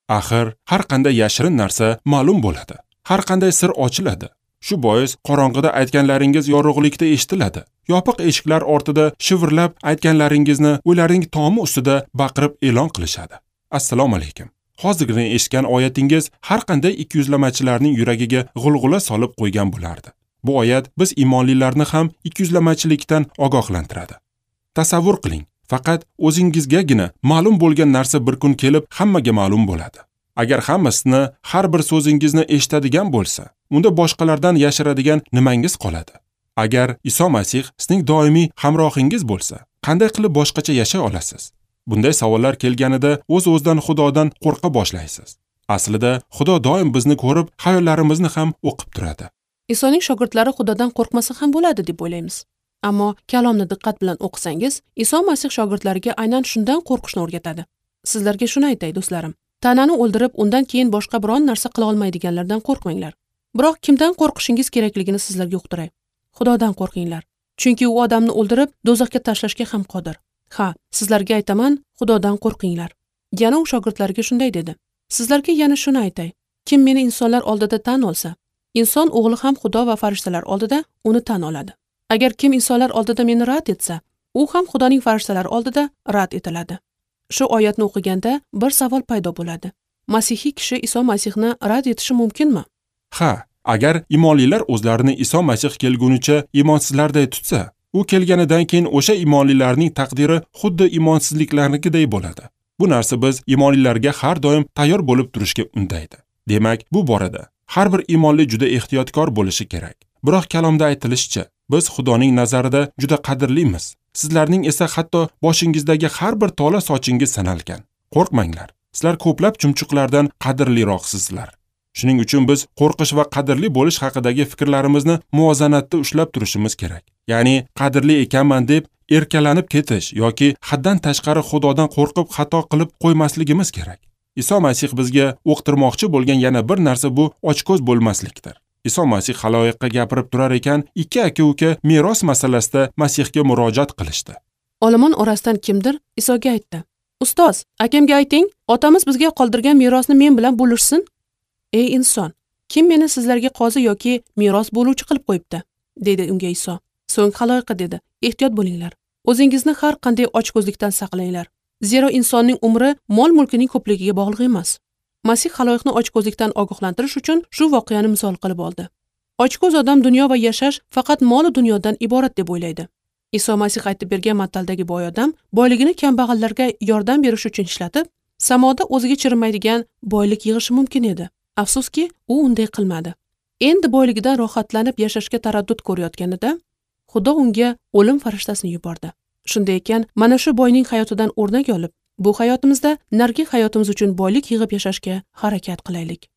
Axir har qanday yashirin narsa ma'lum bo'ladi. Har qanday sir ochiladi. Shu bois qorong'ida aytganlaringiz yorug'likda eshitiladi. Yopiq eshiklar ortida shivirlab aytganlaringizni ularning tomi ustida baqirib e'lon qilishadi. Assalomu alaykum. Hozirgina eshitgan oyatingiz har qanday ikkiyuzlamachilarning yuragiga g'ulg'ula solib qo'ygan bo'lardi. Bu oyat biz iymonlilarni ham ikkiyuzlamachilikdan ogohlantiradi. Tasavvur qiling, faqat o'zingizgagina ma'lum bo'lgan narsa bir kun kelib hammaga ma'lum bo'ladi. Agar hammasini, har bir so'zingizni eshitadigan bo'lsa, unda boshqalardan yashiradigan nimangiz qoladi? Agar Iso Masih sizning doimiy hamrohingiz bo'lsa, qanday qilib boshqacha yashay olasiz? Bunday savollar kelganida o'z-o'zidan Xudodan qo'rqa boshlaysiz. Aslida Xudo doim bizni ko'rib, xayollarimizni ham o'qib turadi. Isoning shogirdlari Xudodan qo'rqmasa ham bo'ladi deb o'ylaymiz. Ammo kalomni diqqat bilan o'qisangiz, Iso Masih shogirdlariga aynan shundan qo'rqishni o'rgatadi. Sizlarga shuni aytay, do'stlarim. Tanani o'ldirib, undan keyin boshqa biron narsa qila olmaydiganlardan qo'rqmanglar. Biroq kimdan qo'rqishingiz kerakligini sizlarga uqtiray. Xudodan qo'rqinglar. Chunki u odamni o'ldirib, do'zaxga tashlashga ham qodir. Ha, sizlarga aytaman, Xudodan qo'rqinglar. Yana u shogirdlariga shunday dedi. Sizlarga yana shuni aytay. Kim meni insonlar oldida tan olsa, inson o'g'li ham Xudo va farishtalar oldida uni tan oladi. Agar kim insonlar oldida meni rad etsa, u ham Xudoning farishtalari oldida rad etiladi. Shu oyatni o'qiganda bir savol paydo bo'ladi. Masihiy kishi Iso Masihni rad etishi mumkinmi? Ha, agar iymonlilar o'zlarini Iso Masih kelgunicha iymonsizlarday tutsa, u kelganidan keyin o'sha iymonlilarning taqdiri xuddi iymonsizliklarnikiday bo'ladi. Bu narsa biz iymonlilarga har doim tayyor bo'lib turishga undaydi. Demak, bu borada har bir iymonli juda ehtiyotkor bo'lishi kerak. Biroq kalomda aytilishicha, biz Xudoning nazarida juda qadrlimiz. Sizlarning esa hatto boshingizdagi har bir tola sochingiz sanalgan. Qo'rqmanglar. Sizlar ko'plab chumchuqlardan qadrliroqsizlar. Shuning uchun biz qo'rqish va qadrli bo'lish haqidagi fikrlarimizni muvozanatda ushlab turishimiz kerak. Ya'ni qadrli ekanman deb erkalanib ketish yoki haddan tashqari Xudodan qo'rqib xato qilib qo'ymasligimiz kerak. Iso Masih bizga uqtirmoqchi bo'lgan yana bir narsa bu ochko'z bo'lmaslikdir. Iso Masih xaloyiqqa gapirib turar ekan, ikki aka-uka meros masalasida Masihga murojaat qilishdi. Olomon orasidan kimdir Isoga aytdi: "Ustoz, akamga ayting, otamiz bizga qoldirgan merosni men bilan bo'lishsin." "Ey inson, kim meni sizlarga qozi yoki meros bo'luvchi qilib qo'yibdi?" dedi unga Iso. So'ng xaloyiqqa dedi: "Ehtiyot bo'linglar. O'zingizni har qanday ochko'zlikdan saqlanglar. Zero insonning umri mol-mulkining ko'pligiga bog'liq emas." Masih xaloyiqni ochko'zlikdan ogohlantirish uchun shu voqeani misol qilib oldi. Ochko'z odam dunyo va yashash faqat mol dunyodan iborat deb o'ylaydi. Iso Masih aytib bergan mataldagi boy odam boyligini kambag'allarga yordam berish uchun ishlatib, samoda o'ziga chirimaydigan boylik yig'ishi mumkin edi. Afsuski, u unday qilmadi. Endi boyligidan rohatlanib yashashga taraddud ko'rayotganida Xudo unga o'lim farishtasini yubordi. Shunday ekan, mana shu boyning hayotidan o'rnak olib, bu hayotimizda nargi hayotimiz uchun boylik yig'ib yashashga harakat qilaylik.